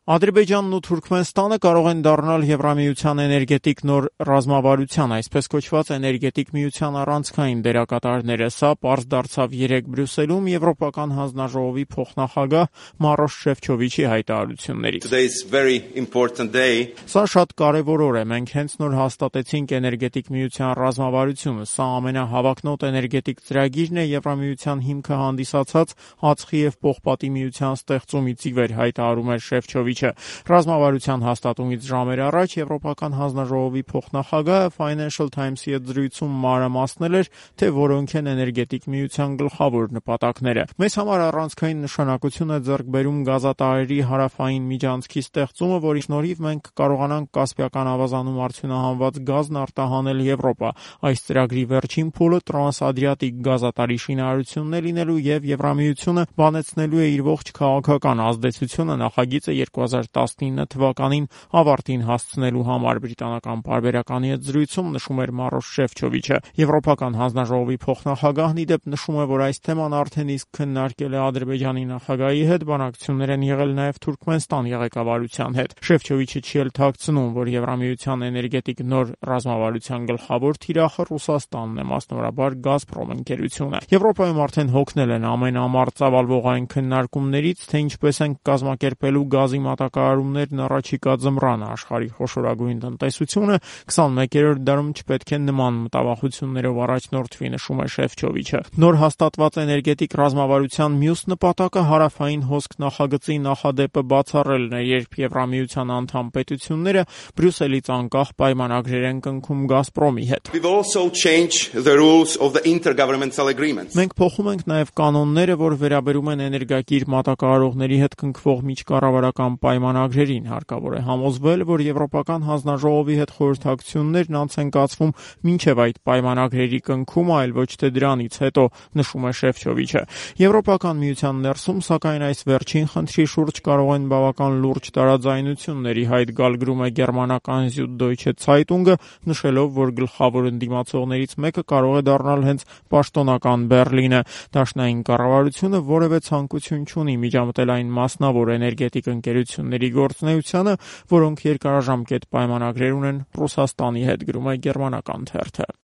Ադրբեջանն ու Թուրքմենստանը կարող են դառնալ Եվրամիության էներգետիկ նոր ռազմավարության, այսպես կոչված էներգետիկ միության առանցքային դերակատարները։ Սա պարզ դարձավ երեկ Բրյուսելում Եվրոպական հանձնաժողովի փոխնախագահ Մարոշ Շեֆչովիչի հայտարարություններից։ Սա շատ կարևոր օր է։ Մենք հենց նոր հաստատեցինք էներգետիկ միության ռազմավարությունը։ Սա ամենահավակնոտ էներգետիկ ծրագիրն է Եվրամիության հիմքը հանդիսացած ածխի եւ պողպատի միության ստեղծումից ի վեր, հայտարարում էր Շեֆչովիչը։ Ռազմավարության հաստատումից ժամեր առաջ Եվրոպական հանձնաժողովի փոխնախագահը Financial Times-ի հետ զրույցում մանրամասնել էր, թե որոնք են էներգետիկ միության գլխավոր նպատակները։ Մեզ համար առանցքային նշանակություն է ձեռք բերում գազատարերի հարավային միջանցքի ստեղծումը, որի շնորհիվ մենք կկարողանանք Կասպիական ավազանում արդյունահանված գազն արտահանել Եվրոպա։ Այս ծրագրի վերջին փուլը տրանսադրիատիկ գազատարի շինարարությունն է լինելու եւ Եվրամիությունը բանեցնելու է իր ողջ քաղաքական ազդեցությունը նախագիծը 2019 թվականին ավարտին հասցնելու համար, բրիտանական պարբերականի հետ զրույցում նշում էր Մարոշ Շեֆչովիչը։ Եվրոպական հանձնաժողովի փոխնախագահն ի դեպ նշում է, որ այս թեման արդեն իսկ քննարկել է Ադրբեջանի նախագահի հետ, բանակցություններ են եղել նաև Թուրքմենստանի ղեկավարության հետ։ Շեֆչովիչը չի էլ թաքցնում, որ Եվրամիության էներգետիկ նոր ռազմավարության գլխավոր թիրախը Ռուսաստանն է, մասնավորաբար Գազպրոմ ընկերությունը։ Եվրոպայում արդեն հոգնել են ամենամարդ ծավալվողային քննարկումներից, թե ինչպես են կազմակերպելու գազի մատակարարումներն առաջիկա ձմռանը։ Աշխարհի խոշորագույն տնտեսությունը 21-րդ դարում չպետք է նման մտավախություններով առաջնորդվի, նշում է Շեֆչովիչը։ Նոր հաստատված էներգետիկ ռազմավարության մյուս նպատակը հարավային հոսք նախագծի նախադեպը բացառելն է, երբ Եվրամիության անդամ պետությունները Բրյուսելից անկախ պայմանագրեր են կնքում Գազպրոմի հետ։ Մենք փոխում ենք նաև կանոնները, որ վերաբերում են էներգակիր մատակարարողների հետ կնքվող միջկառավարական պայմանագրերին։ Հարկավոր է համոզվել, որ Եվրոպական հանձնաժողովի հետ խորհրդակցություններն անց են կացվում մինչև այդ պայմանագրերի կնքումը, այլ ոչ թե դրանից հետո, նշում է Շեֆչովիչը։ Եվրոպական միության ներսում, սակայն այս վերջին խնդրի շուրջ կարող են բավական լուրջ տարաձայնությունների հայտ գալ, գրում է գերմանական Süddeutsche Zeitung-ը, նշելով, որ գլխավոր ընդդիմացողներից մեկը կարող է դառնալ հենց պաշտոնական Բեռլինը։ Դաշնային կառավարությունը որևէ ցանկություն չունի միջամտել այն մասնավոր էներգետիկ ընկերությունների գործունեությանը, որոնք երկարաժամկետ պայմանագրեր ունեն Ռուսաստանի հետ, գրում է գերմանական թերթը։